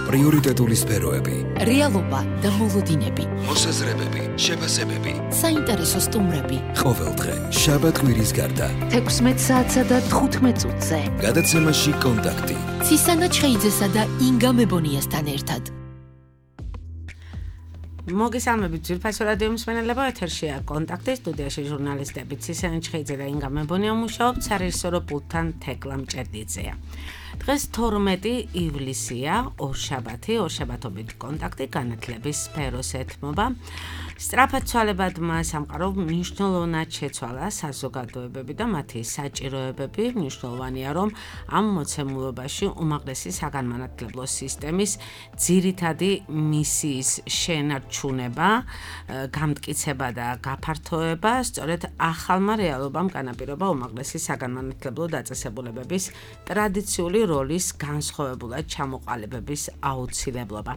პრიორიტეტული სფეროები, რეალობა და მოლოდინები, მოსაზრებები, შეფასებები, საინტერესო სტუმრები. ყოველდღე შაბათ-კვირის გარდა 16 საათსა და 15 წუთზე. გადაცემაში კონტაქტი. ცისანა ჩხეიძესა და ინგა მებონიასთან ერთად. მოგესალმებით ძვირფასო რადიო მსმენელებო, ეთერშია კონტაქტი, სტუდიაში ჟურნალისტები ცისანა ჩხეიძე და ინგა მებონია მუშაობთ, სარეჟისორო პულტთან თეკლა მჭერდიძეა. დღეს 12 ივლისია, ორშაბათობით კონტაქტი განათლების სფეროს ეთმობა. სწრაფად ცვალებადმა სამყარო მნიშვნელოვნად შეცვალა საზოგადოებები და მათი საჭიროებები. მნიშვნელოვანია, რომ ამ მოცემულობაში უმაღლესი საგანმანათლებლო სისტემის ძირითადი მისიის შენარჩუნება, გამტკიცება და გაფართოება სწორედ ახალმა რეალობამ განაპირობა უმაღლესი საგანმანათლებლო დაწესებულებების ტრადიციული როლის განსხვავებულად ჩამოყალიბების აუცილებლობა.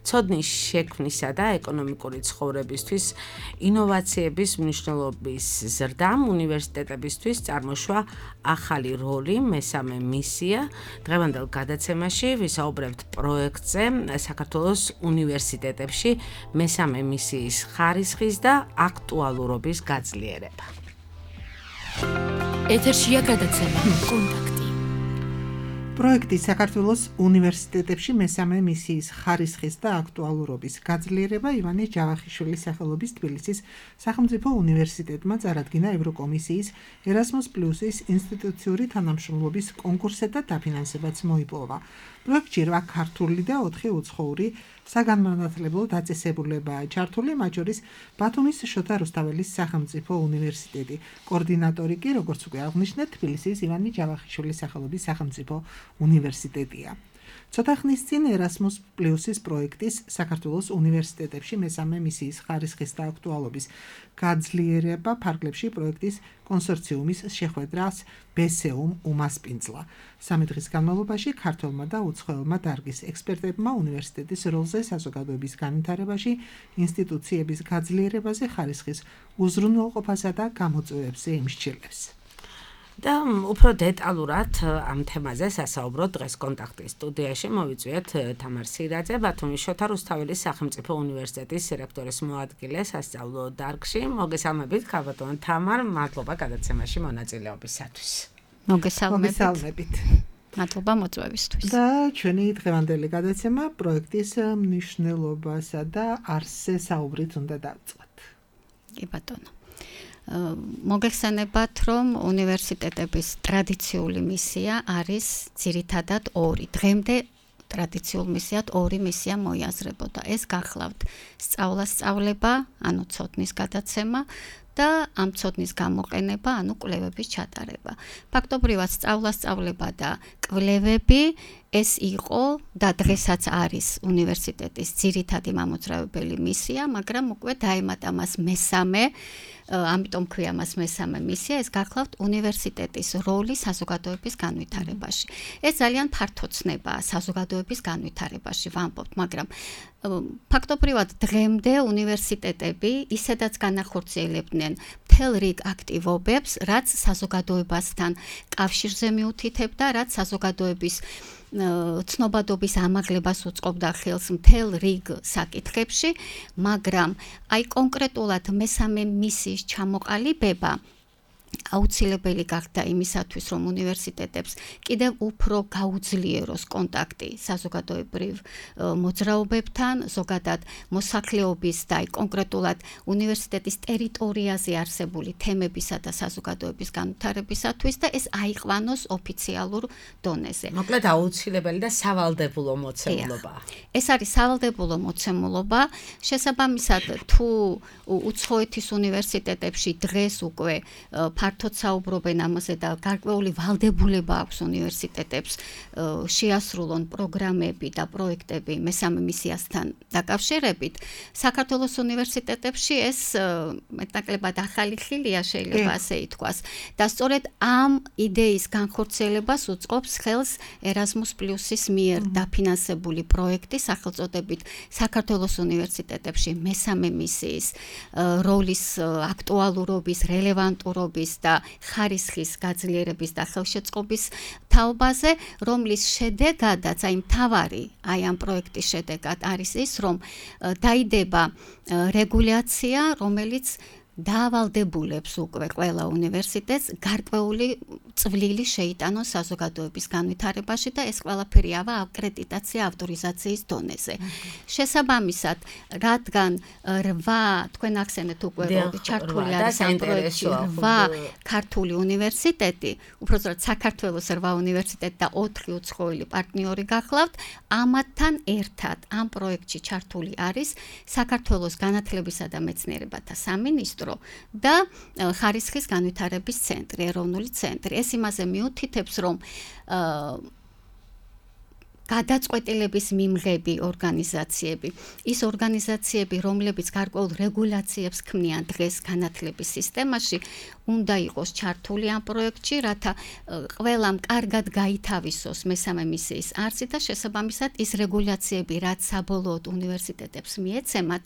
ცოდნის შექმნისა და ეკონომიკური ცხოვრების ინოვაციების მნიშვნელობის ზრდამ უნივერსიტეტებისთვის წარმოშვა ახალი როლი, მესამე მისია. დღევანდელ გადაცემაში ვისაუბრებთ პროექტზე საქართველოს უნივერსიტეტებში მესამე მისიის ხარისხის და აქტუალურობის გაძლიერება. ეთერშია გადაცემა კონტაქტი. პროექტი საქართველოს უნივერსიტეტებში მესამე მისიის ხარისხის და აქტუალურობის გაძლიერება ივანე ჯავახიშვილის სახელობის თბილისის სახელმწიფო უნივერსიტეტმა წარადგინა ევროკომისიის Erasmus+-ის ინსტიტუციური თანამშრომლობის კონკურსზე და დაფინანსებაც მოიპოვა. პროექტში 8 ქართული და 4 უცხოური საგანმანათლებლო დაწესებულებაა ჩართული, მათ შორის ბათუმის შოთა რუსთაველის სახელმწიფო უნივერსიტეტი. კოორდინატორი კი, როგორც უკვე აღნიშნეთ, თბილისის ივანე ჯავახიშვილის სახელობის სახელმწიფო უნივერსიტეტია. ცოტა ხნის წინ Erasmus+-ის პროექტის საქართველოს უნივერსიტეტებში მესამე მისიის ხარისხის და აქტუალობის გაძლიერება ფარგლებში პროექტის კონსორციუმის შეხვედრას BSEUM უმასპინძლა. 3 დღის განმავლობაში ქართველმა და უცხოელმა დარგის ექსპერტებმა უნივერსიტეტის როლზე საზოგადოების განვითარებაში, ინსტიტუციების გაძლიერებაზე, ხარისხის უზრუნველყოფასა და გამოწვევებზე იმსჩილებს. და უფრო დეტალურად ამ თემაზე სასაუბროთ დღეს კონტაქტის სტუდიაში. მოვიწვიეთ თამარ სირაძე, ბათუმის შოთა რუსთაველის სახელმწიფო უნივერსიტეტის რექტორის მოადგილე სასწავლო დარგში. მოგესალმებით, ქალბატონო თამარ, მადლობა გადაცემაში მონაწილეობისათვის. მოგესალმებით. მადლობა მოწვევისთვის. და ჩვენი დღევანდელი გადაცემა პროექტის მნიშვნელობასა და არსზე საუბრით უნდა დავიწყოთ. კი ბატონო. მოგეხსენებათ, რომ უნივერსიტეტების ტრადიციული მისია არის ძირითადად 2. დღემდე ტრადიციულ მისიად 2 მისია მოიაზრებოდა. ეს გახლავთ სწავლა-სწავლება, ანუ ცოდნის გადაცემა და ამ ცოდნის გამოყენება, ანუ კვლევების ჩატარება. ფაქტობრივად სწავლა-სწავლება და კვლევები ეს იყო და დღესაც არის უნივერსიტეტის ძირითადი მამოძრავებელი მისია, მაგრამ უკვე დაემატა მას მესამე, ამიტომ ქვია მას მესამე მისია, ეს გახლავთ უნივერსიტეტის როლი საზოგადოების განვითარებაში. ეს ძალიან ფართო ცნებაა საზოგადოების განვითარებაში, ვამბობთ, მაგრამ ფაქტობრივად დღემდე უნივერსიტეტები ისედაც განახორციელებდნენ მთელ რიგ აქტივობებს, რაც საზოგადოებასთან კავშირზე მიუთითებდა, რაც საზოგადოების ცნობადობის ამაღლებას უწყობდა ხელს მთელ რიგ საკითხებში, მაგრამ აი კონკრეტულად მესამე მისიის ჩამოყალიბება აუცილებელი გახდა იმისათვის, რომ უნივერსიტეტებს კიდევ უფრო გაუძლიეროს კონტაქტი საზოგადოებრივ მოძრაობებთან, ზოგადად მოსახლეობის და კონკრეტულად უნივერსიტეტის ტერიტორიაზე არსებული თემებისა და საზოგადოების განვითარებისათვის და ეს აიყვანოს ოფიციალურ დონეზე. მოკლედ აუცილებელი და სავალდებულო მოცემულობა. ეს არის სავალდებულო მოცემულობა. შესაბამისად, თუ უცხოეთის უნივერსიტეტებში დღეს უკვე ფართოდ საუბრობენ ამაზე და გარკვეული ვალდებულება აქვს უნივერსიტეტებს შეასრულონ პროგრამები და პროექტები მესამე მისიასთან დაკავშირებით. საქართველოს უნივერსიტეტებში ეს მეტნაკლებად ახალი ხილია, შეიძლება ასე ითქვას. და სწორედ ამ იდეის განხორციელებას უწყობს ხელს Erasmus+-ის მიერ დაფინანსებული პროექტი სახელწოდებით საქართველოს უნივერსიტეტებში მესამე მისიის როლის აქტუალურობის, რელევანტურობის განათლების და ხარისხის გაძლიერების და ხელშეწყობის თაობაზე, რომლის შედეგადაც აი მთავარი აი ამ პროექტის შედეგად არის ის, რომ დაიდება რეგულაცია, რომელიც დაავალდებულებს უკვე ყველა უნივერსიტეტს გარკვეული წვლილი შეიტანოს საზოგადოების განვითარებაში და ეს ყველაფერი ავა აკრედიტაცია ავტორიზაციის დონეზე. შესაბამისად, რადგან 8 თქვენ ახსენეთ უკვე ჩართული არის ამ პროექტში 8 ქართული უნივერსიტეტი, უბრალოდ საქართველოს 8 უნივერსიტეტი და 4 უცხოელი პარტნიორი გახლავთ, ამათთან ერთად ამ პროექტში ჩართული არის საქართველოს განათლებისა და მეცნიერებათა სამინისტრო და ხარისხის განვითარების ცენტრი, ეროვნული ცენტრი. ეს იმაზე მიუთითებს, რომ გადაწყვეტილების მიმღები ორგანიზაციები, ის ორგანიზაციები, რომლებიც გარკვეულ რეგულაციებს ქმნიან დღეს განათლების სისტემაში, უნდა იყოს ჩართული ამ პროექტში, რათა ყველამ კარგად გაითავისოს მესამე მისიის არსი და შესაბამისად ის რეგულაციები, რაც საბოლოოდ უნივერსიტეტებს მიეცემათ,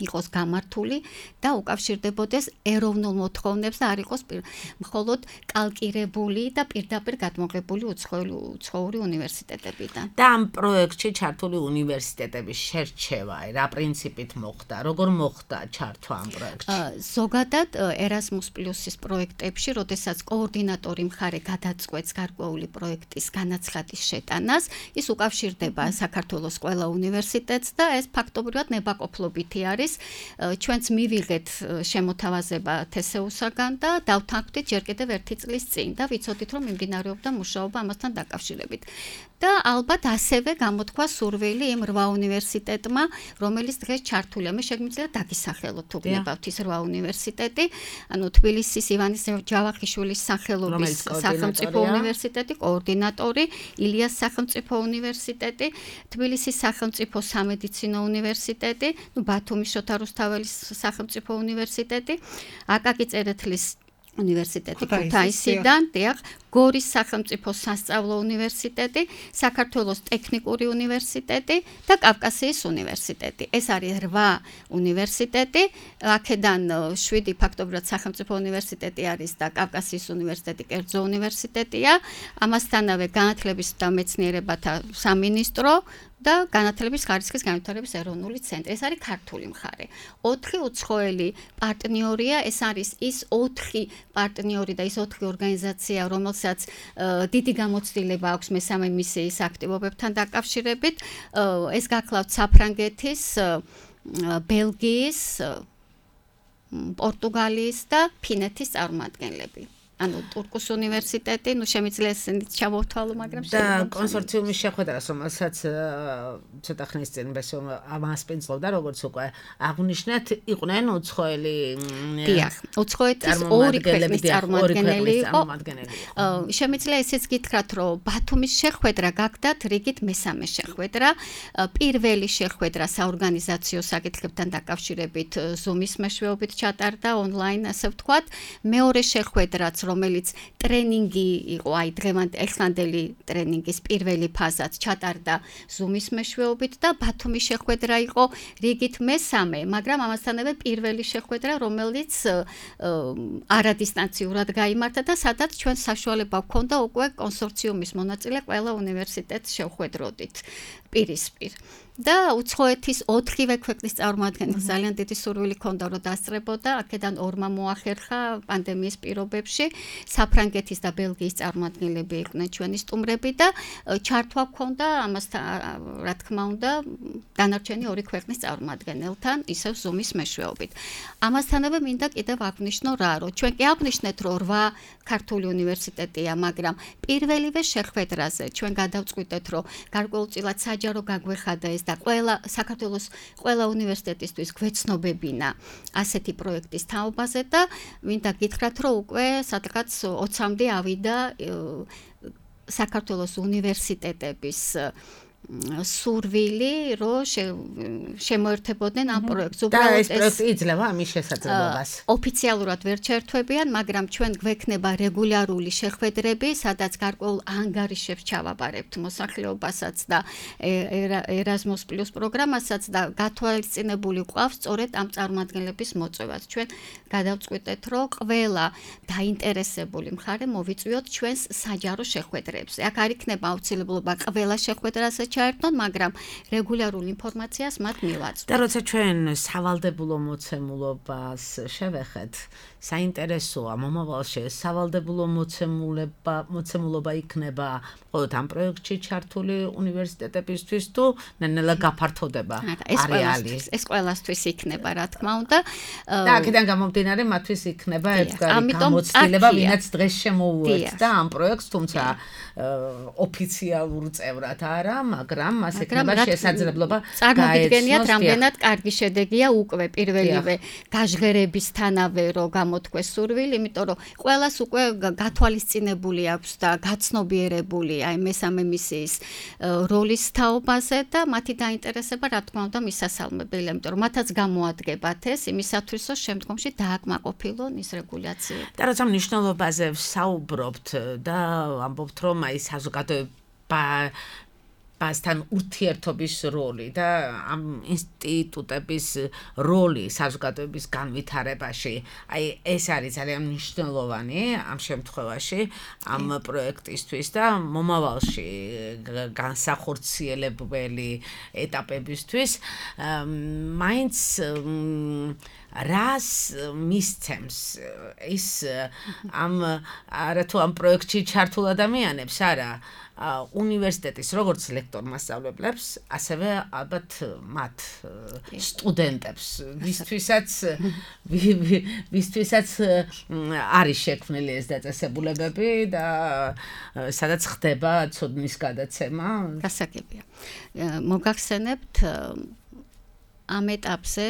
იყოს გამართული და უკავშირდებოდეს ეროვნულ მოთხოვნებს და არ იყოს მხოლოდ კალკირებული და პირდაპირ გადმოღებული უცხოური უნივერსიტეტებიდან. და ამ პროექტში ჩართული უნივერსიტეტების შერჩევა რა პრინციპით მოხდა? როგორ მოხდა ჩართვა ამ პროექტში? ზოგადად Erasmus Plus-ის პროექტებში, როდესაც კოორდინატორი მხარე გადაწყვეტს გარკვეული პროექტის განაცხადის შეტანას, ის უკავშირდება საქართველოს ყველა უნივერსიტეტს და ეს ფაქტობრივად ნებაყოფლობითი არის. ჩვენც მივიღეთ შემოთავაზება TSEU-საგან და დავთანხმდით ჯერ კიდევ 1 წლის წინ და ვიცოდით, რომ მიმდინარეობდა მუშაობა ამასთან დაკავშირებით. და ალბათ ასევე გამოთქვა სურვილი იმ 8 უნივერსიტეტმა, რომელიც დღეს ჩართულია. მე შეგვიძლია დაგისახელოთ უბნებავთ ის 8 უნივერსიტეტი, ანუ თბილისის ივანის ჯავახიშვილის სახელობის სახელმწიფო უნივერსიტეტი, კოორდინატორი, ილიას სახელმწიფო უნივერსიტეტი, თბილისის სახელმწიფო სამედიცინო უნივერსიტეტი, ბათუმის შოთა რუსთაველის სახელმწიფო უნივერსიტეტი, აკაკი წერეთლის უნივერსიტეტი ქუთაისიდან, გორის სახელმწიფო სასწავლო უნივერსიტეტი, საქართველოს ტექნიკური უნივერსიტეტი და კავკასიის უნივერსიტეტი. ეს არის 8 უნივერსიტეტი, აქედან 7 ფაქტობრივად სახელმწიფო უნივერსიტეტი არის და კავკასიის უნივერსიტეტი კერძო უნივერსიტეტია, ამასთანავე განათლების და მეცნიერებათა სამინისტრო და განათლების ხარისხის განვითარების ეროვნული ცენტრი. ეს არის ქართული მხარე. 4 უცხოელი პარტნიორია, ეს არის ის 4 პარტნიორი და ის 4 ორგანიზაცია, რომელსაც დიდი გამოცდილება აქვს მესამე მისიის აქტივობებთან დაკავშირებით. ეს გახლავთ საფრანგეთის, ბელგიის, პორტუგალიის და ფინეთის წარმომადგენლები. ანუ ტურკუს უნივერსიტეტი, შემიძლია ესენით ჩავოთვალო, მაგრამ და კონსორციუმის შეხვედრას, რომელსაც ცოტა ხნის წინ ამასპინძლობდა, როგორც უკვე აღნიშნეთ, იყვნენ უცხოელი დიახ, უცხოეთის 2 ქვეყნის წარმომადგენელი იყო. შემიძლია ესეც გითხრათ, რომ ბათუმის შეხვედრა გახდათ რიგით მესამე შეხვედრა. პირველი შეხვედრა საორგანიზაციო საკითხებთან დაკავშირებით Zoom-ის მეშვეობით ჩატარდა ონლაინ, ასე ვთქვათ. მეორე შეხვედრაც, რომელიც ტრენინგი იყო, აი ეხლანდელი ტრენინგის პირველი ფაზაც ჩატარდა Zoom-ის მეშვეობით და ბათუმის შეხვედრა იყო რიგით მესამე, მაგრამ ამასთანავე პირველი შეხვედრა, რომელიც არადისტანციურად გაიმართა და სადაც ჩვენ საშუალება გვქონდა უკვე კონსორციუმის მონაწილე ყველა უნივერსიტეტს შევხვედროდით პირისპირ. და უცხოეთის 4 ქვეყნის წარმომადგენელს ძალიან დიდი სურვილი ჰქონდა, რომ დასწრებოდა, აქედან 2 მოახერხა პანდემიის პირობებში, საფრანგეთის და ბელგიის წარმომადგენლები იყვნენ ჩვენი სტუმრები და ჩართვა ჰქონდა ამასთან, რა თქმა უნდა, დანარჩენი 2 ქვეყნის წარმომადგენელთან, ისევ Zoom-ის მეშვეობით. ამასთანავე მინდა კიდევ აღნიშნო რა, რომ ჩვენ კი აღნიშნეთ, რომ 8 ქართული უნივერსიტეტია, მაგრამ პირველივე შეხვედრაზე ჩვენ გადავწყვიტეთ, რომ გარკვეულწილად საჯარო გაგვეხადა ეს და საქართველოს ყველა უნივერსიტეტისთვის გვეცნობებინა ასეთი პროექტის თაობაზე და მინდა გითხრათ, რომ უკვე სადღაც 20-მდე ავიდა საქართველოს უნივერსიტეტების სურვილი, რომ შემოერთებოდნენ ამ პროექტს. და ეს პროექტი იძლევა ამის შესაძლებლობას. ოფიციალურად ვერ ჩაერთვებიან, მაგრამ ჩვენ გვექნება რეგულარული შეხვედრები, სადაც გარკვეულ ანგარიშებს ჩავაბარებთ მოსახლეობასაც და Erasmus Plus პროგრამასაც და გათვალისწინებული გვყავს სწორედ ამ წარმომადგენლების მოწვევაც. ჩვენ გადავწყვიტეთ, რომ ყველა დაინტერესებული მხარე მოვიწვიოთ ჩვენს საჯარო შეხვედრებზე. აქ არ იქნება აუცილებლობა ყველა შეხვედრაზე ჩაერთონ, მაგრამ რეგულარულ ინფორმაციას მათ მივაწვდით. და როცა ჩვენ სავალდებულო მოცემულობას შევეხეთ, საინტერესოა მომავალში სავალდებულო მოცემულობა იქნება მხოლოდ ამ პროექტში ჩართული უნივერსიტეტებისთვის თუ ნელა გაფართოვდება არეალი. ეს ყველასთვის იქნება, რა თქმა უნდა. და აქედან გამომდინარე მათთვის იქნება ერთგვარი გამოცდილება, ვინაც დღეს შემოუერთდა და ამ პროექტს, თუმცა ოფიციალურ წევრად არა, მაგრამ მას ექნება შესაძლებლობა წარმოგიდგენიათ, რამდენად კარგი შედეგია უკვე პირველივე გაჟღერებისთანავე, რომ გამოთქვეს სურვილი, იმიტომ რომ ყველას უკვე გათვალისწინებული აქვს და გაცნობიერებული აი მესამე მისიის როლის თაობაზე და მათი დაინტერესება, რა თქმა უნდა, მისასალმებელია, იმიტომ რომ მათაც გამოადგებათ ეს იმისათვის, რომ შემდგომში დააკმაყოფილონ ის რეგულაციები. და როცა მნიშვნელობაზე ვსაუბრობთ და ამბობთ, რომ აი საზოგადოებასთან ურთიერთობის როლი და ამ ინსტიტუტების როლი საზოგადოების განვითარებაში, აი ეს არის ძალიან მნიშვნელოვანი ამ შემთხვევაში, ამ პროექტისთვის და მომავალში განსახორციელებელი ეტაპებისთვის, მაინც რას მისცემს ის არათუ ამ პროექტში ჩართულ ადამიანებს, არა უნივერსიტეტის როგორც ლექტორ მასწავლებლებს, ასევე ალბათ მათ სტუდენტებს, ვისთვისაც არის შექმნილი ეს დაწესებულებები და სადაც ხდება ცოდნის გადაცემა. გასაგებია. მოგახსენებთ ამ ეტაპზე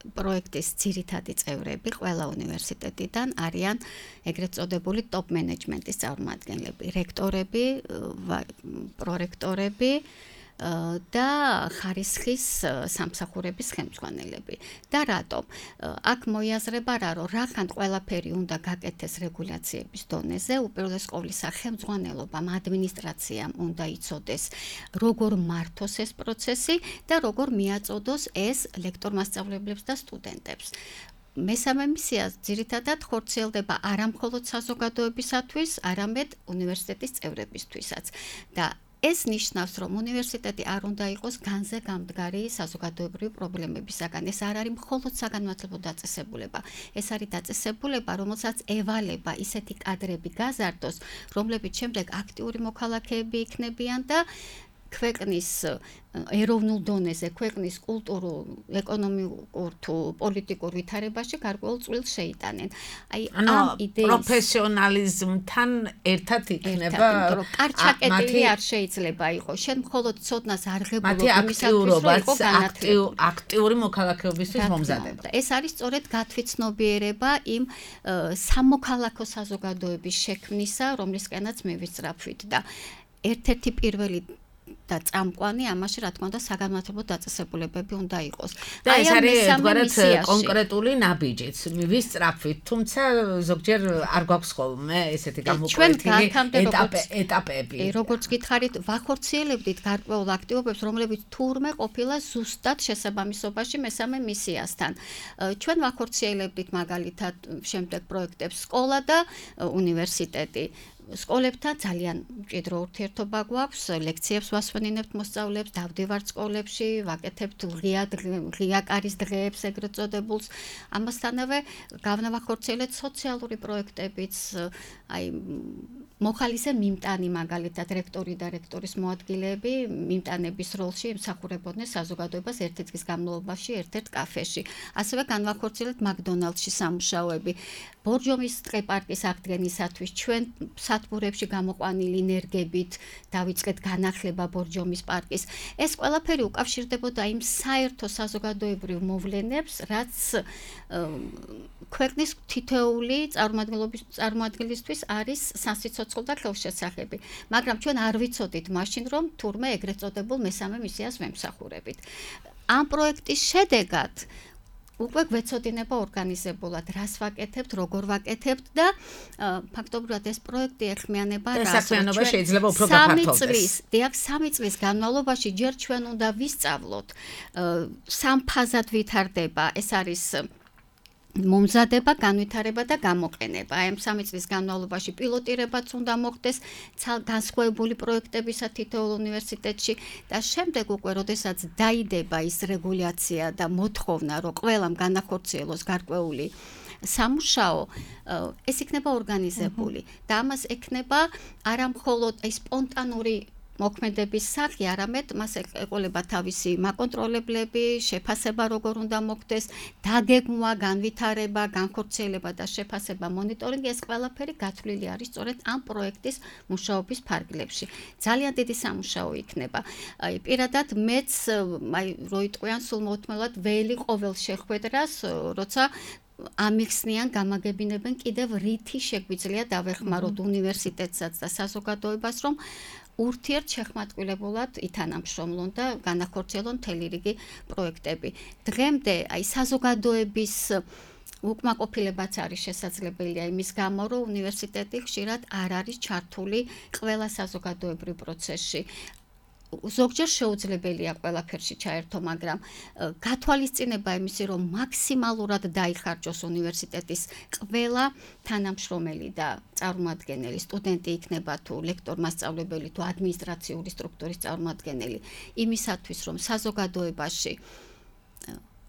პროექტის ძირითადი წევრები ყველა უნივერსიტეტიდან არიან ეგრეთ წოდებული ტოპ მენეჯმენტის წარმომადგენლები, რექტორები, პრორექტორები და ხარისხის სამსახურების ხელმძღვანელები. და რატომ? აქ მოიაზრება რა, რომ რახან ყველაფერი უნდა გაკეთდეს რეგულაციების დონეზე, უპირველეს ყოვლისა ხელმძღვანელობამ, ადმინისტრაციამ უნდა იცოდეს, როგორ მართოს ეს პროცესი და როგორ მიაწოდოს ეს ლექტორ-მასწავლებლებს და სტუდენტებს. მესამე მისია ძირითადად ხორციელდება არა მხოლოდ საზოგადოებისათვის, არამედ უნივერსიტეტის წევრებისთვისაც. და ეს ნიშნავს, რომ უნივერსიტეტი არ უნდა იყოს განზე გამდგარი საზოგადოებრივი პრობლემებისაგან. ეს არ არის მხოლოდ საგანმანათლებლო დაწესებულება. ეს არის დაწესებულება, რომელსაც ევალება ისეთი კადრები გაზარდოს, რომლებიც შემდეგ აქტიური მოქალაქეები იქნებიან და ქვეყნის ეროვნულ დონეზე, ქვეყნის კულტურულ, ეკონომიკურ თუ პოლიტიკურ ვითარებაში გარკვეულ წვლილს შეიტანენ. აი ამ იდეის პროფესიონალიზმთან ერთად იქნება კარჩაკეტილი არ შეიძლება იყოს. შენ მხოლოდ ცოდნას არ ღებულობ მათი აქტიური მოქალაქეობისთვის მომზადება. ეს არის სწორედ გათვითცნობიერება იმ სამოქალაქო საზოგადოების შექმნისა, რომლისკენაც მე ვისწრაფვით და ერთ-ერთი პირველი და წამყვანი ამაში რა თქმა უნდა საგანმანათლებლო დაწესებულებები უნდა იყოს. და ეს არის ერთგვარად კონკრეტული ნაბიჯიც. ვისწრაფვით, თუმცა ზოგჯერ არ გვაქვს ხოლმე ესეთი გამოკვეთილი ეტაპები. როგორც გითხარით, ვახორციელებდით გარკვეულ აქტივობებს, რომლებიც თურმე ყოფილა ზუსტად შესაბამისობაში მესამე მისიასთან. ჩვენ ვახორციელებდით მაგალითად შემდეგ პროექტებს სკოლა და უნივერსიტეტი. სკოლებთან ძალიან მჭიდრო ურთიერთობა გვაქვს, ლექციებს ვასვენინებთ მოსწავლეებს, დავდივართ სკოლებში, ვაკეთებთ ღია კარის დღეებს ეგრეთ წოდებულს. ამასთანავე გავნავახორციელეთ სოციალური პროექტებიც, აი მოხალისე მიმტანი მაგალითად რექტორი და რექტორის მოადგილეები მიმტანების როლში ემსახურებოდნენ საზოგადოებას ერთი დღის განმავლობაში ერთ-ერთ კაფეში. ასევე განვახორციელეთ მაკდონალდსში სამუშაოები. ბორჯომის ტყე-პარკის აღდგენისათვის ჩვენ სათბურებში გამოყვანილი ენერგებით დავიწყეთ განახლება ბორჯომის პარკის. ეს ყველაფერი უკავშირდებოდა იმ საერთო საზოგადოებრივ მოვლენებს, რაც ქვეყნის თითოეული წარმომადგენლისთვის არის სასიცოცხლო ცოცხლ და ხელშესახები, მაგრამ ჩვენ არ ვიცოდით მაშინ, რომ თურმე ეგრეთ წოდებულ მესამე მისიას ვემსახურებით. ამ პროექტის შედეგად უკვე გვეცოდინება ორგანიზებულად, რას ვაკეთებთ, როგორ ვაკეთებთ და ფაქტობრივად ეს პროექტი ეხმიანება რას. საქმიანობა შეიძლება უფრო გაფართოვდეს. 3 წლის განმავლობაში ჯერ ჩვენ უნდა ვისწავლოთ სამ ფაზად ვითარდება, ეს არის მომზადება, განვითარება და გამოყენება. აი ამ 3 წლის განმავლობაში პილოტირებაც უნდა მოხდეს განსხვავებული პროექტებისა თითოეულ უნივერსიტეტში და შემდეგ უკვე, როდესაც დაიდება ის რეგულაცია და მოთხოვნა, რომ ყველამ განახორციელოს გარკვეული სამუშაო, ეს იქნება ორგანიზებული და ამას ექნება არა მხოლოდ სპონტანური მოქმედების სახე, არამედ მას ეყოლება თავისი მაკონტროლებლები, შეფასება როგორ უნდა მოხდეს, დაგეგმვა, განვითარება, განხორციელება და შეფასება, მონიტორინგი, ეს ყველაფერი გათვლილი არის სწორედ ამ პროექტის მუშაობის ფარგლებში. ძალიან დიდი სამუშაო იქნება. აი პირადად მეც რო იტყვიან სულ მოუთმელად ველი ყოველ შეხვედრას, როცა ამიხსნიან, გამაგებინებენ კიდევ რითი შეგვიძლია დავეხმაროთ უნივერსიტეტსაც და საზოგადოებას, რომ ურთიერთშეხმატკილებულად ითანამშრომლონ და განახორციელონ მთელი რიგი პროექტები. დღემდე აი საზოგადოების უკმაყოფილებაც არის შესაძლებელია იმის გამო, რომ უნივერსიტეტი ხშირად არ არის ჩართული ყველა საზოგადოებრივ პროცესში. ზოგჯერ შეუძლებელია ყველაფერში ჩაერთო, მაგრამ გათვალისწინება იმისი, რომ მაქსიმალურად დაიხარჯოს უნივერსიტეტის ყველა თანამშრომელი და წარმომადგენელი, სტუდენტი იქნება თუ ლექტორ მასწავლებელი თუ ადმინისტრაციული სტრუქტურის წარმომადგენელი, იმისათვის, რომ საზოგადოებაში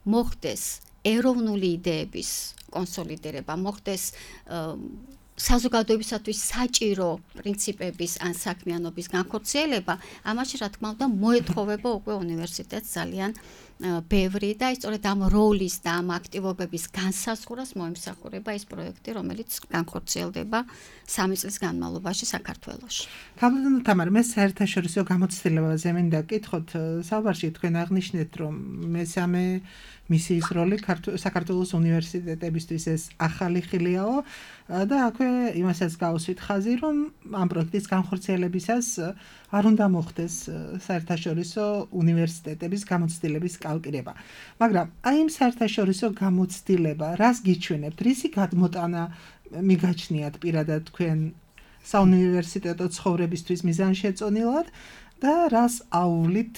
მოხდეს ეროვნული იდეების კონსოლიდირება, მოხდეს საზოგადოებისათვის საჭირო პრინციპების ან საქმიანობის განხორციელება, ამაში რა თქმა უნდა მოეთხოვება უკვე უნივერსიტეტს ძალიან ბევრი და სწორედ ამ როლის და ამ აქტივობების განსაზღვრას მოემსახურება ეს პროექტი, რომელიც განხორციელდება 3 წლის განმავლობაში საქართველოში. თამარ თამარ, მე საერთაშორისო გამოცდილებაზე მინდა გკითხოთ, საუბარში თქვენ აღნიშნეთ, რომ მესამე მისიის როლი საქართველოს უნივერსიტეტებისთვის ეს ახალი ხილიაო და აქვე იმასაც გავუსვით ხაზი, რომ ამ პროექტის განხორციელებისას არ უნდა მოხდეს საერთაშორისო უნივერსიტეტების გამოცდილების კალკირება. მაგრამ აი იმ საერთაშორისო გამოცდილება, რას გიჩვენებთ, რისი გადმოტანა მიგაჩნიათ პირადად თქვენ საუნივერსიტეტო ცხოვრებისთვის მიზანშეწონილად და რას აუვლით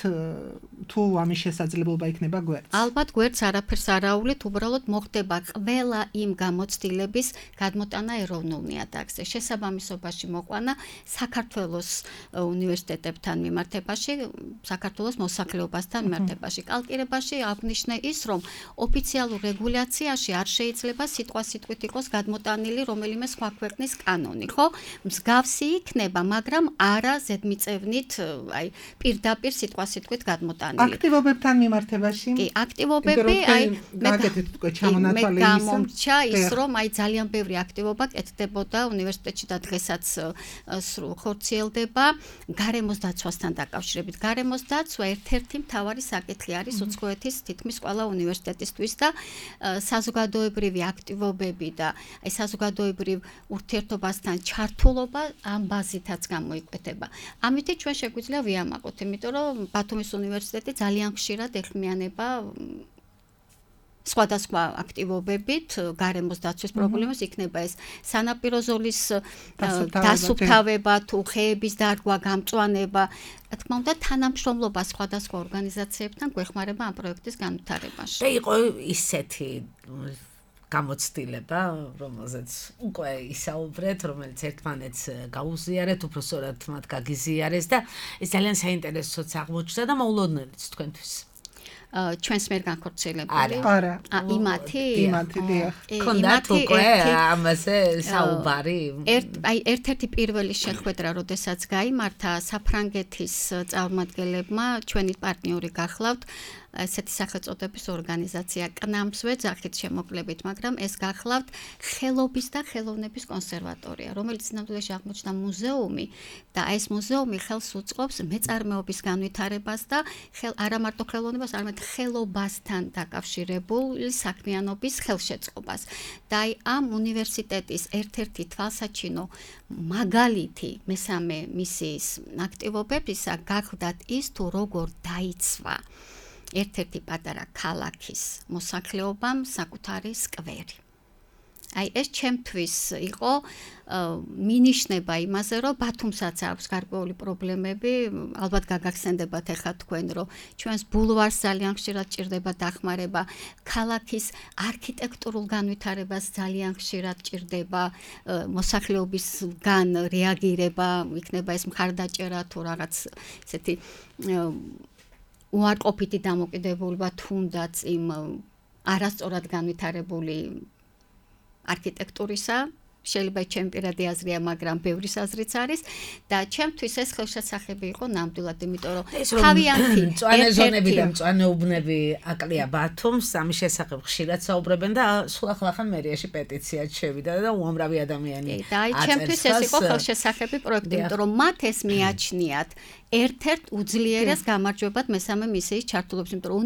თუ ამის შესაძლებლობა იქნება გვერდს? ალბათ გვერდს არაფერს არ აუვლით, უბრალოდ მოხდება ყველა იმ გამოცდილების გადმოტანა ეროვნულ ნიადაგზე. შესაბამისობაში მოყვანა საქართველოს უნივერსიტეტებთან მიმართებაში, საქართველოს მოსახლეობასთან მიმართებაში. კალკირებაში აღნიშნე ის, რომ ოფიციალურ რეგულაციაში არ შეიძლება სიტყვასიტყვით იყოს გადმოტანილი რომელიმე სხვა ქვეყნის კანონი, ხო? მსგავსი იქნება, მაგრამ არა ზედმიწევნით აი პირდაპირ სიტყვასიტყვით გადმოტანილი. აქტივობებთან მიმართებაში? კი, აქტივობები აი მე გამომრჩა ის, რომ აი ძალიან ბევრი აქტივობა კეთდებოდა უნივერსიტეტში და დღესაც ხორციელდება გარემოს დაცვასთან დაკავშირებით. გარემოს დაცვა ერთ-ერთი მთავარი საკითხი არის უცხოეთის თითქმის ყველა უნივერსიტეტისთვის და საზოგადოებრივი აქტივობები და აი საზოგადოებრივ ურთიერთობასთან ჩართულობა ამ ბაზითაც გამოიკვეთება. ამით ჩვენ შეგვიძლია ვიამაყოთ, იმიტომ რომ ბათუმის უნივერსიტეტი ძალიან ხშირად ეხმიანება სხვადასხვა აქტივობებით გარემოს დაცვის პრობლემას, იქნება ეს სანაპირო ზოლის დასუფთავება თუ ხეების დარგვა, გამწვანება, რა თქმა უნდა თანამშრომლობა სხვადასხვა ორგანიზაციებთან გვეხმარება ამ პროექტის განვითარებაში. და იყო ისეთი გამოცდილება, რომელზეც უკვე ისაუბრეთ, რომელიც ერთმანეთს გაუზიარეთ, უბრალოდ მათ გაგიზიარეს და ეს ძალიან საინტერესოც აღმოჩნდა და მოულოდნელიც თქვენთვის. ჩვენს მიერ განხორციელებული. არა. იმათი დიახ. ქონდათ უკვე ამაზე საუბარი. აი ერთ-ერთი პირველი შეხვედრა, როდესაც გაიმართა საფრანგეთის წარმომადგენლებმა, ჩვენი პარტნიორი გახლავთ, ესეთი სახელწოდების ორგანიზაცია კნამსვე ძახით შემოკლებით, მაგრამ ეს გახლავთ ხელობის და ხელოვნების კონსერვატორია, რომელიც ნამდვილად აღმოჩნდა მუზეუმი და ეს მუზეუმი ხელს უწყობს მეწარმეობის განვითარებას და არა მარტო ხელოვნებას, არამედ ხელობასთან დაკავშირებული საქმიანობის ხელშეწყობას. და ამ უნივერსიტეტის ერთ-ერთი თვალსაჩინო მაგალითი მესამე მისიის აქტივობებისა გახდათ ის, თუ როგორ დაიცვა ერთ-ერთი პატარა ქალაქის მოსახლეობამ საკუთარი სკვერი. აი ეს ჩემთვის იყო მინიშნება იმაზე, რომ ბათუმსაც აქვს გარკვეული პრობლემები, ალბათ გაგახსენდებათ ახლა თქვენ, რომ ჩვენს ბულვარს ძალიან ხშირად ჭირდება დახმარება, ქალაქის არქიტექტურულ განვითარებას ძალიან ხშირად ჭირდება მოსახლეობისგან რეაგირება, იქნება ეს მხარდაჭერა თუ რაღაც ესეთი უარყოფითი დამოკიდებულება თუნდაც იმ არასწორად განვითარებული არქიტექტურისა, შეიძლება ჩემი პირადი აზრია, მაგრამ ბევრი აზრიც არის და ჩემთვის ეს ხელშესახები იყო ნამდვილად, იმიტომ რომ თავიანთი მწვანე ზონები და მწვანე უბნები აკლია ბათუმს, ამის შესახებ ხშირად საუბრობენ და სულ ახლა მერიაში პეტიციაც შევიდა და უამრავი ადამიანი აწერს. და ჩემთვის ეს იყო ხელშესახები პროექტი, იმიტომ რომ მათ ეს მიაჩნიათ ერთ-ერთ უძლიერეს გამარჯვებად მესამე მისიის ჩართულობის, იმიტომ რომ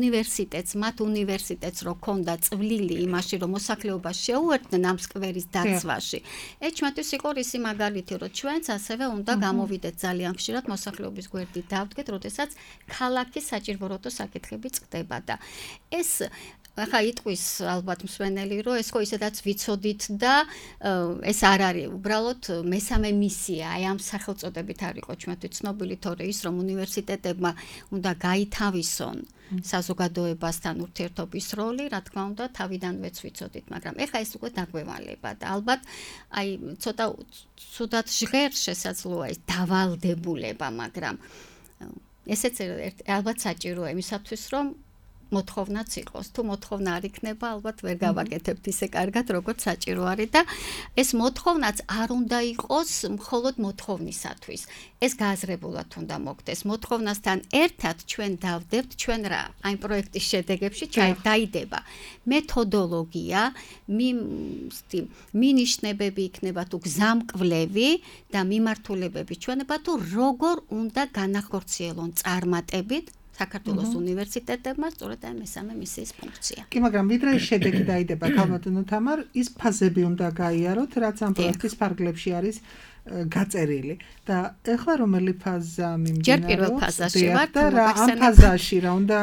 მათ უნივერსიტეტს რო ქონდა წვლილი იმაში, რომ მოსახლეობა შეუერთდნენ ამ სკვერის დაცვაში. ეს ჩვენთვის იყო რისი მაგალითი, რომ ჩვენც ასევე უნდა გამოვიდეთ ძალიან ხშირად მოსახლეობის გვერდით დავდგეთ, როდესაც ქალაქის საჭიროებო საკითხები წყდება და ეს ახლა იტყვის ალბათ მსვენელი, რომ ეს ხო ისედაც ვიცოდით და ეს არ არის უბრალოდ მესამე მისია, აი ამ სახელწოდებით არ იყო ჩვენთვის ცნობილი, თორე ის რომ უნივერსიტეტებმა უნდა გაითავისონ საზოგადოებასთან ურთიერთობის როლი, რა თქმა უნდა, თავიდანვეც ვიცოდით, მაგრამ ეხლა ეს უკვე დაგვევალება და ალბათ აი ცოტა ცუდად ჟღერს შესაძლოა ეს დავალდებულება, მაგრამ ესეც ალბათ საჭიროა იმისათვის, რომ მოთხოვნაც იყოს. თუ მოთხოვნა არ იქნება, ალბათ ვერ გავაკეთებთ ისე კარგად, როგორც საჭირო არის და ეს მოთხოვნაც არ უნდა იყოს მხოლოდ მოთხოვნისათვის. ეს გააზრებულად უნდა მოხდეს. მოთხოვნასთან ერთად ჩვენ დავდებთ ჩვენ რა? აი პროექტის შედეგებში დაიდება მეთოდოლოგია, მინიშნებები იქნება თუ გზამკვლევი და მიმართულებები ჩვენება თუ როგორ უნდა განახორციელონ წარმატებით საქართველოს უნივერსიტეტებმა სწორედ ამ მესამე მისიის ფუნქცია. კი, მაგრამ ვიდრე ის შედეგი დაიდება, ქალბატონო თამარ, ის ფაზები უნდა გაიაროთ, რაც ამ პროექტის ფარგლებში არის გაწერილი. და ეხლა რომელი ფაზა მიმდინარეობს? ჯერ პირველ ფაზაში ვარ, და ამ ფაზაში რა უნდა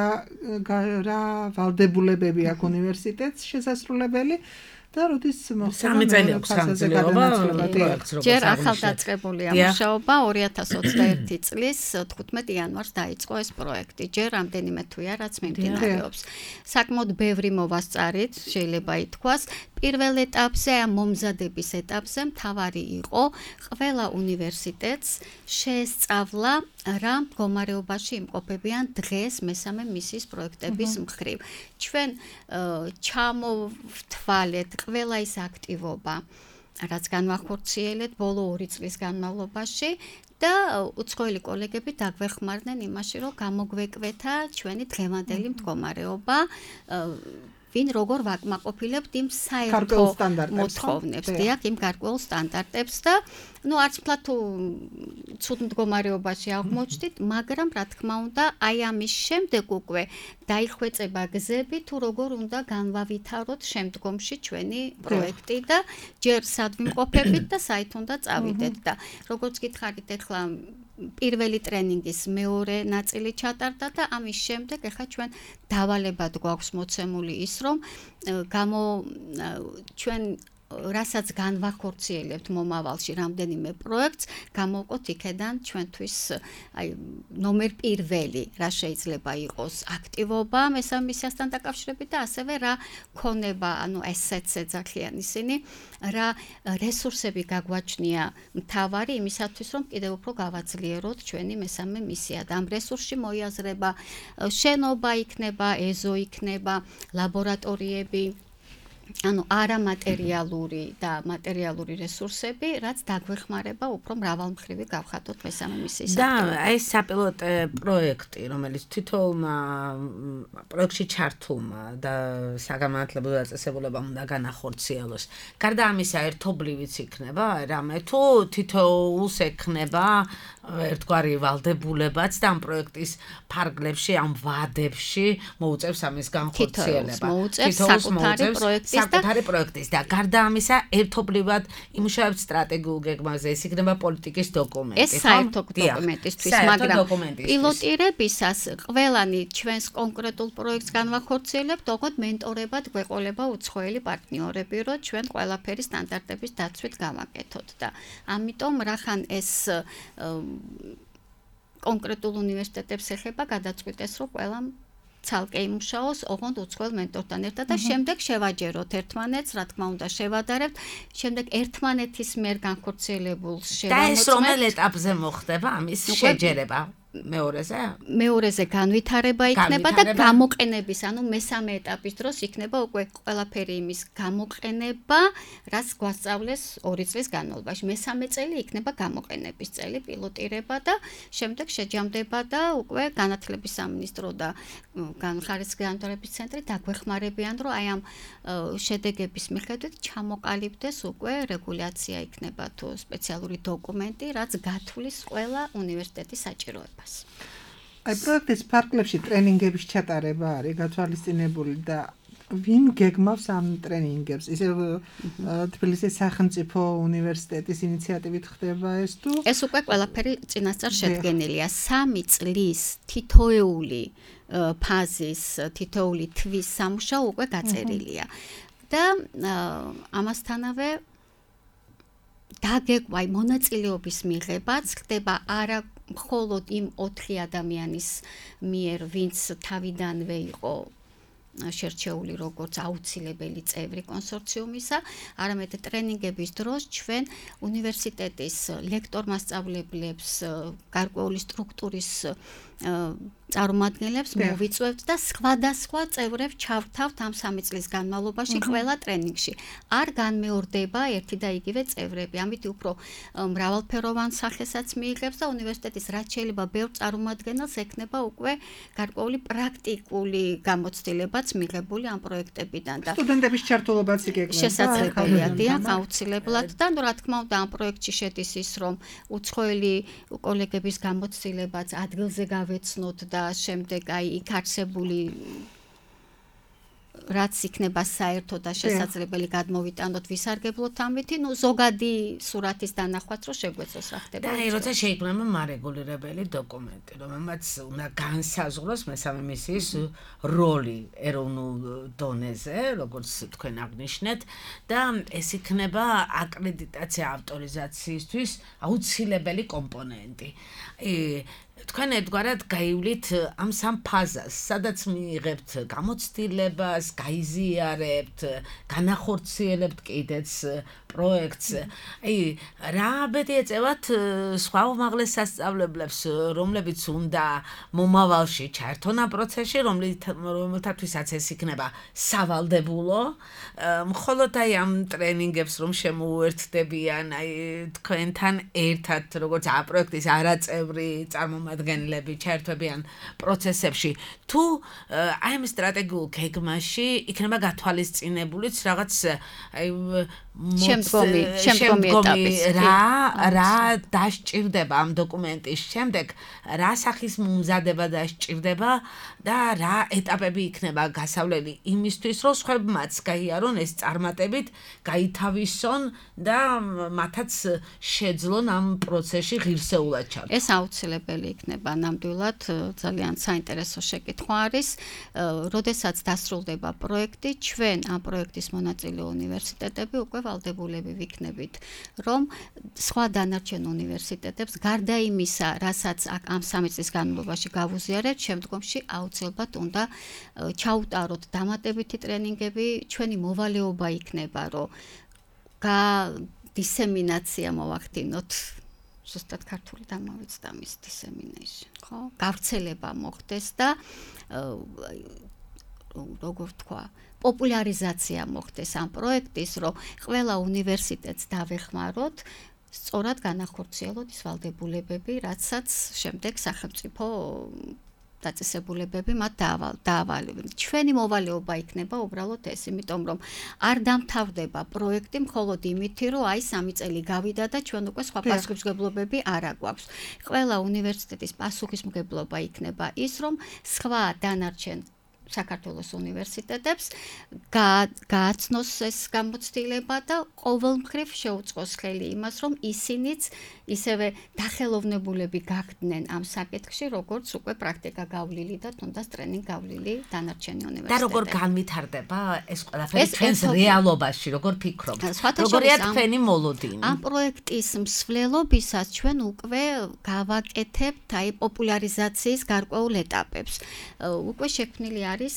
რა ვალდებულებები აქვს უნივერსიტეტს შესასრულებელი? და როდის სამი წელი აქვს განძლიერება პროექტს როგორც ჯერ ახალდაწყებულია მუშაობა 2021 წლის 15 იანვარს დაიწყო ეს პროექტი. ჯერ რამდენიმე თვეა რაც მიმდინარეობს. საკმაოდ ბევრი მოვასწარით, შეიძლება ითქვას. პირველ ეტაპზე, ამ მომზადების ეტაპზე მთავარი იყო ყველა უნივერსიტეტს შეესწავლა რა მდგომარეობაში იმყოფებიან დღეს მესამე მისიის პროექტების მხრივ. ჩვენ ჩამოვთვალეთ ყველა ის აქტივობა, რაც განვახორციელეთ ბოლო 2 წლის განმავლობაში და უცხოელი კოლეგები დაგვეხმარდნენ იმაში, რომ გამოგვეკვეთა ჩვენი დღევანდელი მდგომარეობა, ვინ როგორ ვაკმაყოფილებთ იმ საერთო მოთხოვნებს, დიახ, იმ გარკვეულ სტანდარტებს და არც ფლად თუ ცუდ მდგომარეობაში აღმოჩნდით, მაგრამ რა თქმა უნდა, აი ამის შემდეგ უკვე დაიხვეწება გზები თუ როგორ უნდა განვავითაროთ შემდგომში ჩვენი პროექტი და ჯერ სად ვიმყოფებით და საით უნდა წავიდეთ და როგორც გითხარით ახლა პირველი ტრენინგის მეორე ნაწილი ჩატარდა და ამის შემდეგ ახლა ჩვენ დავალებად გვაქვს მოცემული ის, რომ ჩვენ რასაც განვახორციელებთ მომავალში რამდენიმე პროექტს, გამოვყოთ იქედან ჩვენთვის აი ნომერ პირველი, რა შეიძლება იყოს აქტივობა მესამე მისიასთან დაკავშირებით და ასევე რა ქონება, ანუ ესეც ეძახიან ისინი, რა რესურსები გაგვაჩნია მთავარი იმისათვის, რომ კიდევ უფრო გავაძლიეროთ ჩვენი მესამე მისია და ამ რესურსში მოიაზრება შენობა იქნება, ეზო იქნება, ლაბორატორიები, ანუ არამატერიალური და მატერიალური რესურსები, რაც დაგვეხმარება უფრო მრავალმხრივი გავხატოთ მესამე მისიის. და ეს საპილოტო პროექტი, რომელიც თითოეულმა პროექტში ჩართულმა და საგანმანათლებლო დაწესებულებამ უნდა განახორციელოს. გარდა ამისა, ერთობლივიც იქნება, რამე თუ თითოეულს ექნება ერთგვარი ვალდებულებაც და ამ პროექტის ფარგლებში, ამ ვადებში მოუწევს ამის განხორციელება. საკუთარი პროექტის და გარდა ამისა, ერთობლივად იმუშავებთ სტრატეგიულ გეგმაზე, ეს იქნება პოლიტიკის დოკუმენტი. ეს საერთო დოკუმენტისთვის, მაგრამ პილოტირებისას ყველანი ჩვენს კონკრეტულ პროექტს განვახორციელებთ, ოღონდ მენტორებად გვეყოლება უცხოელი პარტნიორები, რომ ჩვენ ყველაფერი სტანდარტების დაცვით გავაკეთოთ და ამიტომ რახან ეს კონკრეტულ უნივერსიტეტებს ეხება გადაწყვიტეს, რომ ყველამ ცალკე იმუშაოს, ოღონდ უცხოელ მენტორთან ერთად და შემდეგ შევაჯეროთ ერთმანეთს, რა თქმა უნდა, შევადარებთ, შემდეგ ერთმანეთის მიერ განხორციელებულ შევამოწმებთ. და ეს რომელ ეტაპზე მოხდება ამის შეჯერება? მეორეზე განვითარება იქნება და გამოყენების, ანუ მესამე ეტაპის დროს იქნება უკვე ყველაფერი იმის გამოყენება, რაც გვასწავლეს 2 წლის განმავლობაში. მესამე წელი იქნება გამოყენების წელი, პილოტირება და შემდეგ შეჯამდება და უკვე განათლების სამინისტრო და ხარისხის განვითარების ცენტრი დაგვეხმარებიან, რომ აი ამ შედეგების მიხედვით ჩამოყალიბდეს უკვე რეგულაცია იქნება თუ სპეციალური დოკუმენტი, რაც გათვლის ყველა უნივერსიტეტის საჭიროებას. აი პროექტის ფარგლებში ტრენინგების ჩატარება არის გათვალისწინებული და ვინ გეგმავს ამ ტრენინგებს? ისე თბილისის სახელმწიფო უნივერსიტეტის ინიციატივით ხდება ეს თუ? ეს უკვე ყველაფერი წინასწარ შედგენილია. 3 წლის თითოეული ფაზის, თითოეული თვის სამუშაო უკვე გაწერილია. და ამასთანავე დაგეგმვა მონაწილეობის მიღებაც ხდება არა მხოლოდ იმ 4 ადამიანის მიერ, ვინც თავიდანვე იყო შერჩეული როგორც აუცილებელი წევრი კონსორციუმისა, არამედ ტრენინგების დროს ჩვენ უნივერსიტეტის ლექტორ-მასწავლებლებს, გარკვეული სტრუქტურის წარმომადგენლებს მოვიწვევთ და სხვადასხვა წევრებს ჩავთავთ ამ 3 წლის განმავლობაში ყველა ტრენინგში. არ განმეორდება ერთი და იგივე წევრები. ამით უფრო მრავალფეროვან სახესაც მიიღებს და უნივერსიტეტის რაც შეიძლება ბევრ წარმომადგენელს ექნება უკვე გარკვეული პრაქტიკული გამოცდილებაც მიღებული ამ პროექტებიდან და სტუდენტების ჩართულობაც იგეგმება. შესაძლებელია, დიახ, აუცილებლად და რა თქმა უნდა ამ პროექტში შედის ის, რომ უცხოელი კოლეგების გამოცდილებაც ადგილზე გავეცნოთ და შემდეგ აი იქ არსებული რაც იქნება საერთო და შესაძლებელი გადმოვიტანოთ ვისარგებლოთ ამით, ნუ ზოგადი სურათის დანახვაც რო შეგვეცოს რა ხდება. და აი როცა შეიქმნება მარეგულირებელი დოკუმენტი, რომელმაც უნდა განსაზღვროს მესამე მისიის როლი ეროვნულ დონეზე, როგორც თქვენ აღნიშნეთ, და ეს იქნება აკრედიტაცია ავტორიზაციისთვის აუცილებელი კომპონენტი. თქვენ ერთგვარად გაივლით ამ 3 ფაზას, სადაც მიიღებთ გამოცდილებას, გაიზიარებთ, განახორციელებთ კიდეც პროექტს. აი, რა ბედი ეწევათ სხვა უმაღლეს სასწავლებლებს, რომლებიც უნდა მომავალში ჩაერთონ ამ პროცესში, რომელთათვისაც ეს იქნება სავალდებულო, მხოლოდ აი ამ ტრენინგებს რომ შემოუერთდებიან, აი თქვენთან ერთად, როგორც ამ პროექტის არაწევრი წარმომადგენლები ჩაერთვებიან პროცესებში, თუ აი ამ სტრატეგიულ გეგმაში იქნება გათვალისწინებულიც რაღაც აი შემდგომი ეტაპის რა დასჭირდება ამ დოკუმენტის შემდეგ, რა სახის მომზადება დასჭირდება და რა ეტაპები იქნება გასავლელი იმისთვის, რომ სხვებმაც გაიარონ ეს წარმატებით, გაითავისონ და მათაც შეძლონ ამ პროცესში ღირსეულად ჩართვა. ეს აუცილებელი იქნება ნამდვილად, ძალიან საინტერესო შეკითხვა არის. როდესაც დასრულდება პროექტი, ჩვენ ამ პროექტის მონაწილე უნივერსიტეტები უკვე ვალდებულები ვიქნებით, რომ სხვა დანარჩენ უნივერსიტეტებს გარდა იმისა, რასაც ამ 3 წლის განმავლობაში გავუზიარებთ, შემდგომში აუცილებლად უნდა ჩაუტაროთ დამატებითი ტრენინგები, ჩვენი მოვალეობა იქნება, რომ დისემინაცია მოვახდინოთ, ზუსტად ქართული დამოვიცდა მის dissemination, ხო? გავრცელება მოხდეს და როგორ თქვა, პოპულარიზაცია მოხდეს ამ პროექტის, რომ ყველა უნივერსიტეტს დავეხმაროთ, სწორად განახორციელოთ ის ვალდებულებები, რაცაც შემდეგ სახელმწიფო დაწესებულებები მათ დაავალებენ. ჩვენი მოვალეობა იქნება უბრალოდ ეს, იმიტომ რომ არ დამთავრდება პროექტი მხოლოდ იმითი, რომ აი 3 წელი გავიდა და ჩვენ უკვე სხვა პასუხისმგებლობები არ აგვაქვს. ყველა უნივერსიტეტის პასუხისმგებლობა იქნება ის, რომ სხვა დანარჩენ საქართველოს უნივერსიტეტებს გააცნოს ეს გამოცდილება და ყოველმხრივ შეუწყოს ხელი იმას, რომ ისინიც ისევე დახელოვნებულები გახდნენ ამ საკითხში, როგორც უკვე პრაქტიკა გავლილი და თუნდაც ტრენინგ გავლილი დანარჩენი უნივერსიტეტები. და როგორ განვითარდება ეს ყველაფერი ჩვენს რეალობაში, როგორ ფიქრობთ? როგორია თქვენი მოლოდინი? ამ პროექტის მსვლელობისას ჩვენ უკვე გავაკეთებთ აი პოპულარიზაციის გარკვეულ ეტაპებს. უკვე შექმნილი არის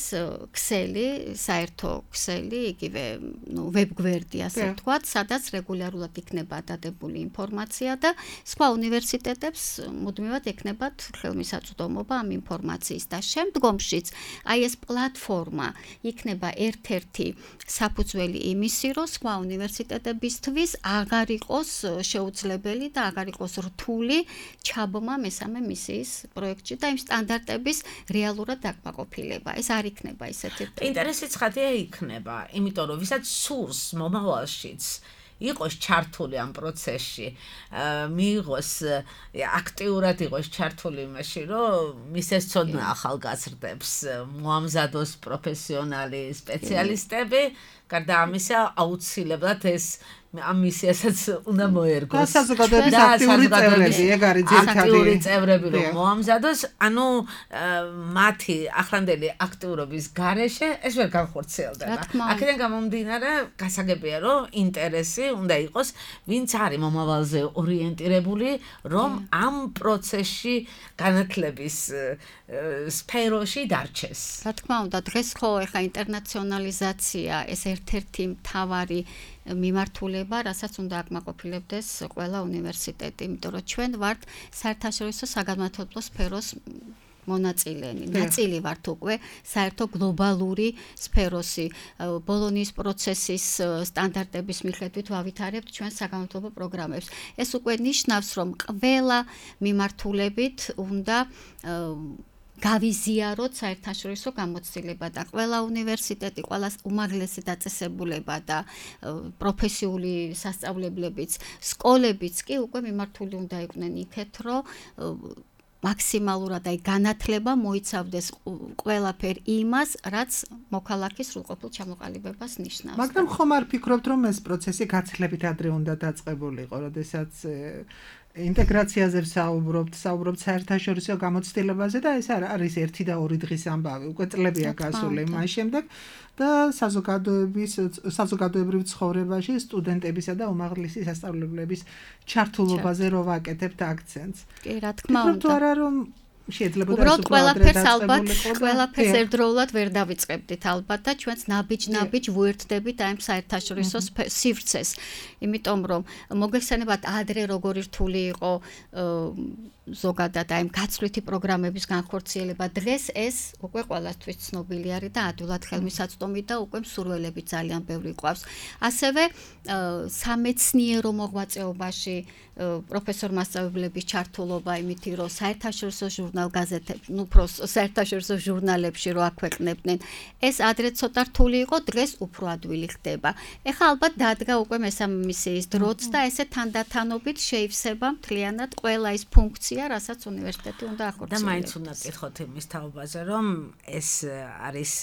ქსელი, საერთო ქსელი, იგივე, ვებგვერდი, ასე ვთქვათ, სადაც რეგულარულად იქნება დადებული ინფორმაცია და სხვა უნივერსიტეტებს მუდმივად ექნებათ ხელმისაწვდომობა ამ ინფორმაციის და შემდგომშიც აი ეს პლატფორმა იქნება ერთ-ერთი საფუძველი იმისი, რომ სხვა უნივერსიტეტებისთვის აღარ იყოს შეუძლებელი და აღარ იყოს რთული ჩაბმა მესამე მისიის პროექტში და იმ სტანდარტების რეალურად დაკმაყოფილება. ეს არ იქნება ისეთი. ინტერესი ცხადია იქნება, იმიტომ რომ ვისაც სურს მომავალშიც იყოს ჩართული ამ პროცესში, მიიღოს აქტიურად იყოს ჩართული იმაში, რომ მის ეს ცოდნა ახალგაზრდებს მოამზადოს პროფესიონალი სპეციალისტები, გარდა ამისა აუცილებლად ეს ამ მისიასაც უნდა მოერგოს. და საზოგადოების აქტიური წევრები, ეგ არის ძირითადი. აქტიური წევრები რომ მოამზადოს, ანუ მათი ახლანდელი აქტიურობის გარეშე ეს ვერ განხორციელდება. აქედან გამომდინარე, გასაგებია რომ ინტერესი უნდა იყოს, ვინც არის მომავალზე ორიენტირებული, რომ ამ პროცესში განათლების სფეროში დარჩეს. რა თქმა უნდა, დღეს ხო ეხა ინტერნაციონალიზაცია ეს ერთ-ერთი მთავარი მიმართულება, რასაც უნდა აკმაყოფილებდეს ყველა უნივერსიტეტი, იმიტომ რომ ჩვენ ვართ საერთაშორისო საგანმანათლებლო სფეროს მონაწილენი. ნაწილი ვართ უკვე საერთო გლობალური სფეროსი. ბოლონიის პროცესის სტანდარტების მიხედვით ვავითარებთ ჩვენ საგანმანათლებლო პროგრამებს. ეს უკვე ნიშნავს, რომ ყველა მიმართულებით უნდა გავიზიაროთ საერთაშორისო გამოცდილება და ყველა უნივერსიტეტი, ყველა უმაღლესი დაწესებულება და პროფესიული სასწავლებლებიც, სკოლებიც კი უკვე მიმართული უნდა იყვნენ იქეთ, რომ მაქსიმალურად აი განათლება მოიცავდეს ყველაფერ იმას, რაც მოქალაქის სრულყოფილ ჩამოყალიბებას ნიშნავს. მაგრამ ხომ არ ფიქრობთ, რომ ეს პროცესი გაცილებით ადრე უნდა დაწყებულიყო, როდესაც ინტეგრაციაზე საუბრობთ საერთაშორისო გამოცდილებაზე და ეს არის 1 და 2 დღის ამბავი, უკვე წლებია გასული მას შემდეგ და საზოგადოებრივ ცხოვრებაში სტუდენტებისა და უმაღლესი სასწავლებლების ჩართულობაზე რო ვაკეთებთ აქცენტს. კი, რა თქმა უნდა. თუ არა რომ შეიძლება და უბრალოდ ყველაფერს ერთდროულად ვერ დავიწყებდით ალბათ და ჩვენც ნაბიჯ ვუერთდებით აი საერთაშორისო სივრცეს. იმიტომ რომ მოგეხსენებათ ადრე როგორი რთული იყო ზოგადად აი გაცვლითი პროგრამების განხორციელება. დღეს ეს უკვე ყველასთვის ცნობილი არის და ადვილად ხელმისაწვდომი და უკვე მსურველები ძალიან ბევრი ყავს. ასევე სამეცნიერო მოღვაწეობაში პროფესორ-მასწავლებლების ჩართულობა იმითი, რომ საერთაშორისო ჟურნალ-გაზეთებში, საერთაშორისო ჟურნალებში რო აქვეყნებდნენ, ეს ადრე ცოტა რთული იყო, დღეს უფრო ადვილი ხდება. ეხლა ალბათ დადგა უკვე მესამე მისიის დროც და ესე თანდათანობით შეივსება მთლიანად ყველა ის ფუნქცია, რასაც უნივერსიტეტი უნდა ახორციელოს. და მაინც უნდა კითხოთ იმის თაობაზე, რომ ეს არის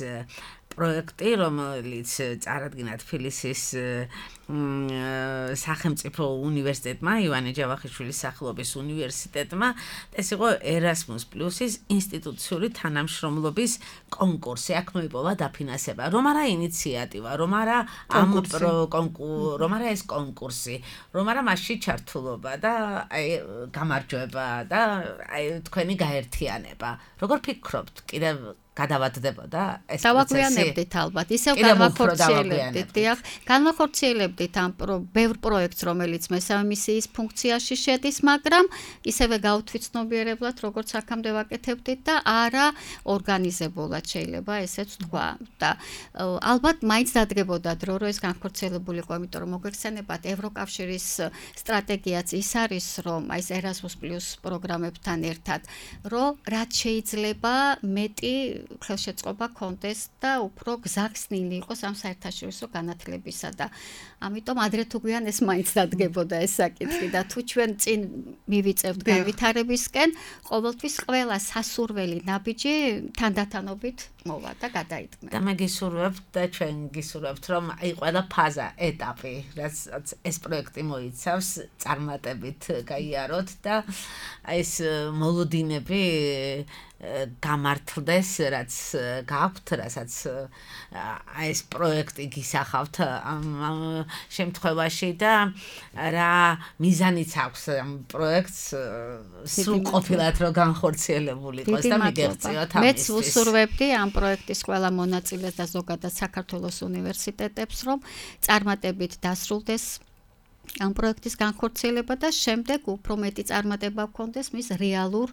პროექტი, რომელიც წარადგინა თბილისის სახელმწიფო უნივერსიტეტმა, ივანე ჯავახიშვილის სახელობის უნივერსიტეტმა, ეს იყო Erasmus Plus-ის ინსტიტუციური თანამშრომლობის კონკურსი. აქ მოიპოვა დაფინანსება. რომ არა ინიციატივა, რომ არა რომ არა ეს კონკურსი, რომ არა მასში ჩართულობა და აი გამარჯვება და აი თქვენი გაერთიანება. როგორ ფიქრობთ, კიდევ გადავადდებოდა ეს პროცესი? დავაგვიანებდით ალბათ, ისევ განვახორციელებდით, დიახ, განვახორციელებდით ამ ბევრ პროექტს, რომელიც მესამე მისიის ფუნქციაში შედის, მაგრამ ისევე გავთვითცნობიერებლად, როგორც აქამდე ვაკეთებდით და არა ორგანიზებულად შეიძლება ესეც თქვა. და ალბათ მაინც დადგებოდა დრო, რომ ეს განხორციელებულიყო, იმიტომ რომ მოგეხსენებათ, ევროკავშირის სტრატეგიაც ის არის, რომ აი ეს Erasmus+ პროგრამებთან ერთად, რომ რაც შეიძლება მეტი ხელშეწყობა კონდეს და უფრო გზახსნილი იყოს ამ საერთაშორისო განათლებისა და ამიტომ ადრე თუ გვიან ეს მაინც დადგებოდა ეს საკითხი და თუ ჩვენ წინ მივიწევთ განვითარებისკენ, ყოველთვის ყველა სასურველი ნაბიჯი თანდათანობით მოვა და გადაიდგმება. და მე გისურვებთ და ჩვენ გისურვებთ, რომ აი ყველა ფაზა, ეტაპი, რაც ეს პროექტი მოიცავს, წარმატებით გაიაროთ და ეს მოლოდინები გამართლდეს, რაც გაქვთ, რასაც ეს პროექტი გისახავთ ამ შემთხვევაში და რა მიზანიც აქვს ამ პროექტს სრულყოფილად რომ განხორციელებული იყოს და მიგეღწიოთ ამისთვის. მეც ვუსურვებდი ამ პროექტის ყველა მონაწილეს და ზოგადად საქართველოს უნივერსიტეტებს, რომ წარმატებით დასრულდეს ამ პროექტის განხორციელება და შემდეგ უფრო მეტი წარმატება გქონდეს მის რეალურ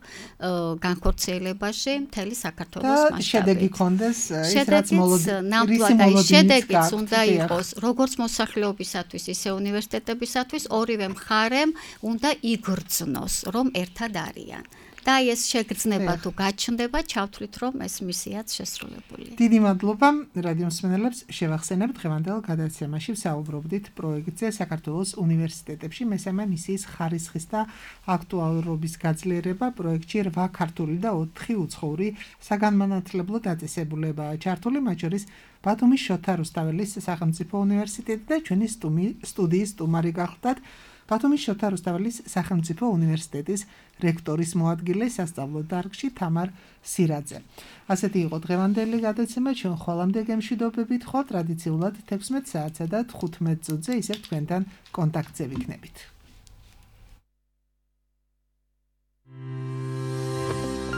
განხორციელებაში მთელი საქართველოს მასშტაბით. და შედეგი გქონდეს ის რაც მოლოდინის შედეგიც უნდა იყოს როგორც მოსახლეობისათვის, ისე უნივერსიტეტებისათვის ორივე მხარემ უნდა იგრძნოს, რომ ერთად არიან. და ეს შეგრძნება თუ გაჩნდება, ჩავთვლით, რომ ეს მისიაც შესრულებულია. დიდი მადლობა რადიო მსმენელებს, შევახსენებთ დღევანდელ გადაცემაში ვსაუბრობდით პროექტზე საქართველოს უნივერსიტეტებში მესამე მისიის ხარისხის და აქტუალურობის გაძლიერება. პროექტში 8 ქართული და 4 უცხოური საგანმანათლებლო დაწესებულებაა ჩართული, მათ შორის ბათუმის შოთა რუსთაველის სახელმწიფო უნივერსიტეტი და ჩვენი სტუდიის სტუმარი გახლდათ ბათუმის შოთა რუსთაველის სახელმწიფო უნივერსიტეტის რექტორის მოადგილე სასწავლო დარგში თამარ სირაძე. ასეთი იყო დღევანდელი გადაცემა, ჩვენ ხვალამდე გემშვიდობებით ხო ტრადიციულად 16 საათსა და 15 წუთზე ისევ თქვენთან კონტაქტზე ვიქნებით.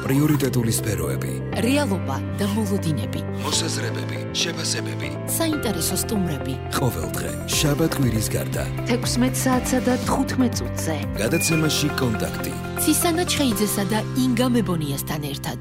პრიორიტეტული სფეროები, რეალობა და მოლოდინები, მოსაზრებები, შეფასებები, საინტერესო სტუმრები. ყოველდღე შაბათ-კვირის გარდა 16 საათსა და 15 წუთზე. გადაცემაში კონტაქტი. ცისანა ჩხეიძესა და ინგა მებონიასთან ერთად.